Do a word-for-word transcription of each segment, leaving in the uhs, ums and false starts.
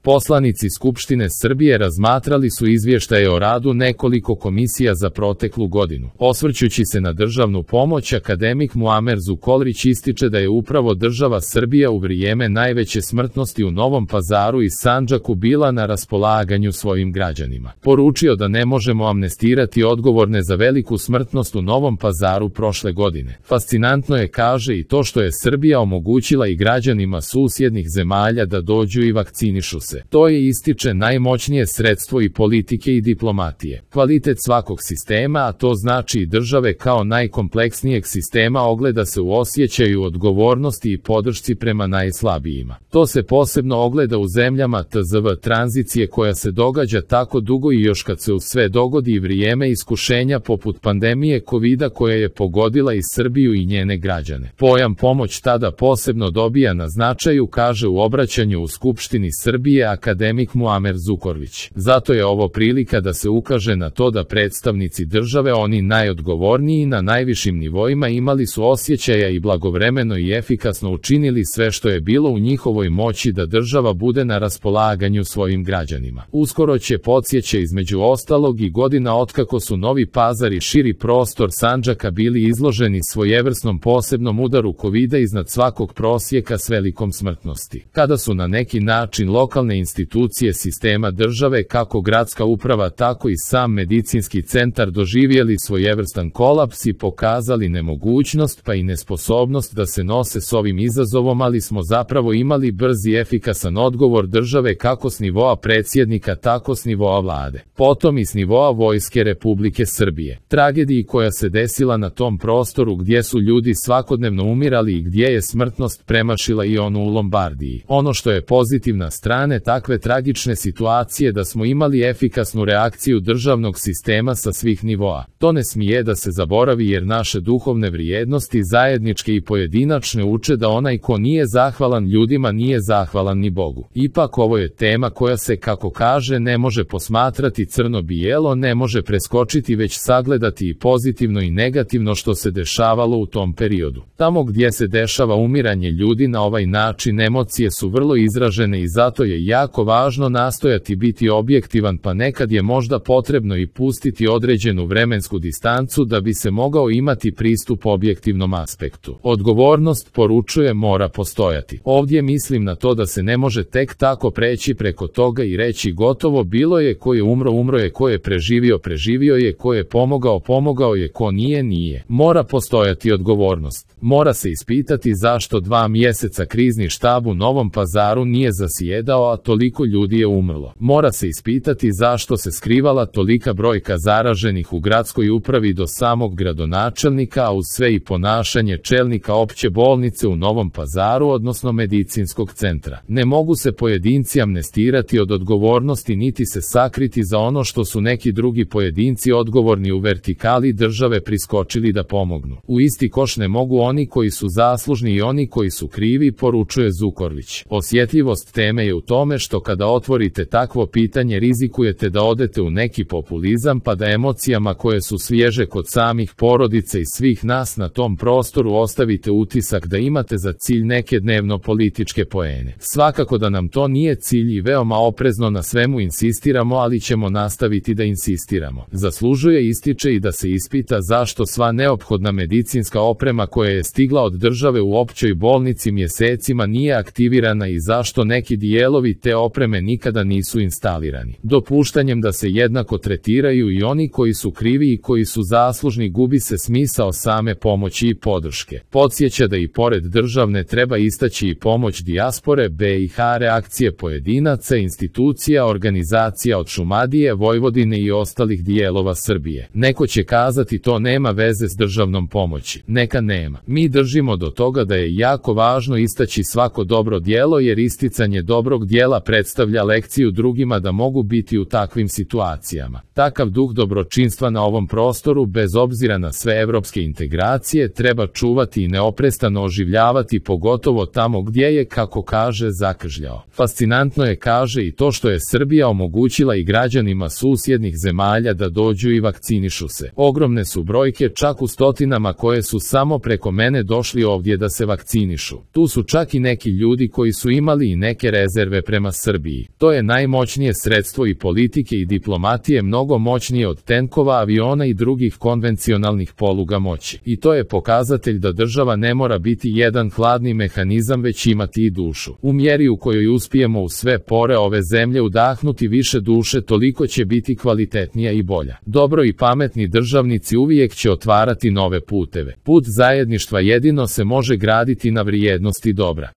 Poslanici Skupštine Srbije razmatrali su izvještaje o radu nekoliko komisija za proteklu godinu. Osvrćući se na državnu pomoć, akademik Muamer Zukorlić ističe da je upravo država Srbija u vrijeme najveće smrtnosti u Novom Pazaru i Sandžaku bila na raspolaganju svojim građanima. Poručio da ne možemo amnestirati odgovorne za veliku smrtnost u Novom Pazaru prošle godine. Fascinantno je, kaže, i to što je Srbija omogućila i građanima susjednih zemalja da dođu i vakcinišu se. To je, ističe, najmoćnije sredstvo i politike i diplomatije. Kvalitet svakog sistema, a to znači i države kao najkompleksnijeg sistema, ogleda se u osjećaju odgovornosti i podršci prema najslabijima. To se posebno ogleda u zemljama T Z V tranzicije koja se događa tako dugo i još kad se u sve dogodi i vrijeme iskušenja poput pandemije kovida koja je pogodila i Srbiju i njene građane. Pojam pomoć tada posebno dobija na značaju, kaže u obraćanju u Skupštini Srbije akademik Muamer Zukorlić. Zato je ovo prilika da se ukaže na to da predstavnici države, oni najodgovorniji na najvišim nivoima, imali su osjećaja i blagovremeno i efikasno učinili sve što je bilo u njihovoj moći da država bude na raspolaganju svojim građanima. Uskoro će, podsjeća, između ostalog i godina otkako su Novi Pazar i širi prostor Sandžaka bili izloženi svojevrsnom posebnom udaru kovida iznad svakog prosjeka s velikom smrtnosti. Kada su na neki način lokalne institucije sistema države, kako gradska uprava tako i sam medicinski centar, doživjeli svojevrstan kolaps i pokazali nemogućnost pa i nesposobnost da se nose s ovim izazovom, ali smo zapravo imali brz i efikasan odgovor države kako s nivoa predsjednika tako s nivoa vlade, potom i s nivoa Vojske Republike Srbije. Tragediji koja se desila na tom prostoru gdje su ljudi svakodnevno umirali i gdje je smrtnost premašila i onu u Lombardiji. Ono što je pozitivna strane takve tragične situacije da smo imali efikasnu reakciju državnog sistema sa svih nivoa. To ne smije da se zaboravi, jer naše duhovne vrijednosti, zajedničke i pojedinačne, uče da onaj ko nije zahvalan ljudima nije zahvalan ni Bogu. Ipak ovo je tema koja se, kako kaže, ne može posmatrati crno-bijelo, ne može preskočiti, već sagledati i pozitivno i negativno što se dešavalo u tom periodu. Tamo gdje se dešava umiranje ljudi na ovaj način, emocije su vrlo izražene i zato je jako važno nastojati biti objektivan, pa nekad je možda potrebno i pustiti određenu vremensku distancu da bi se mogao imati pristup objektivnom aspektu. Odgovornost, poručuje, mora postojati. Ovdje mislim na to da se ne može tek tako preći preko toga i reći gotovo, bilo je, ko je umro, umro je, ko je preživio, preživio je, ko je pomogao, pomogao je, ko nije, nije. Mora postojati odgovornost. Mora se ispitati zašto dva mjeseca krizni štab u Novom Pazaru nije zasjedao, a toliko ljudi je umrlo. Mora se ispitati zašto se skrivala tolika brojka zaraženih u gradskoj upravi do samog gradonačelnika, a uz sve i ponašanje čelnika opće bolnice u Novom Pazaru, odnosno medicinskog centra. Ne mogu se pojedinci amnestirati od odgovornosti niti se sakriti za ono što su neki drugi pojedinci odgovorni u vertikali države priskočili da pomognu. U isti koš ne mogu oni koji su zaslužni i oni koji su krivi, poručuje Zukorlić. Osjetljivost teme je u tome što kada otvorite takvo pitanje rizikujete da odete u neki populizam, pa da emocijama koje su svježe kod samih porodica i svih nas na tom prostoru ostavite utisak da imate za cilj neke dnevno političke poene. Svakako da nam to nije cilj i veoma oprezno na svemu insistiramo, ali ćemo nastaviti da insistiramo. Zaslužuje, ističe, i da se ispita zašto sva neophodna medicinska oprema koja je stigla od države u općoj bolnici mjesecima nije aktivirana i zašto neki dijelovi te opreme nikada nisu instalirani. Dopuštanjem da se jednako tretiraju i oni koji su krivi i koji su zaslužni, gubi se smisao same pomoći i podrške. Podsjeća da i pored državne treba istaći i pomoć dijaspore B i H, reakcije pojedinaca, institucija, organizacija od Šumadije, Vojvodine i ostalih dijelova Srbije. Neko će kazati to nema veze s državnom pomoći. Neka nema. Mi držimo do toga da je jako važno istaći svako dobro djelo, jer isticanje dobrog djela predstavlja lekciju drugima da mogu biti u takvim situacijama. Takav duh dobročinstva na ovom prostoru, bez obzira na sve evropske integracije, treba čuvati i neoprestano oživljavati, pogotovo tamo gdje je, kako kaže, zakržljao. Fascinantno je, kaže, i to što je Srbija omogućila i građanima susjednih zemalja da dođu i vakcinišu se. Ogromne su brojke, čak u stotinama, koje su samo preko mene došli ovdje da se vakcinišu. Tu su čak i neki ljudi koji su imali i neke rezerve prema prema Srbiji. To je najmoćnije sredstvo i politike i diplomatije, mnogo moćnije od tenkova, aviona i drugih konvencionalnih poluga moći. I to je pokazatelj da država ne mora biti jedan hladni mehanizam, već imati i dušu. U mjeri u kojoj uspijemo u sve pore ove zemlje udahnuti više duše, toliko će biti kvalitetnija i bolja. Dobro i pametni državnici uvijek će otvarati nove puteve. Put zajedništva jedino se može graditi na vrijednosti dobra.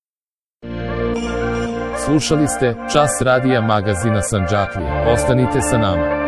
Slušali ste Čas radija magazina Sandžaklija. Ostanite sa nama.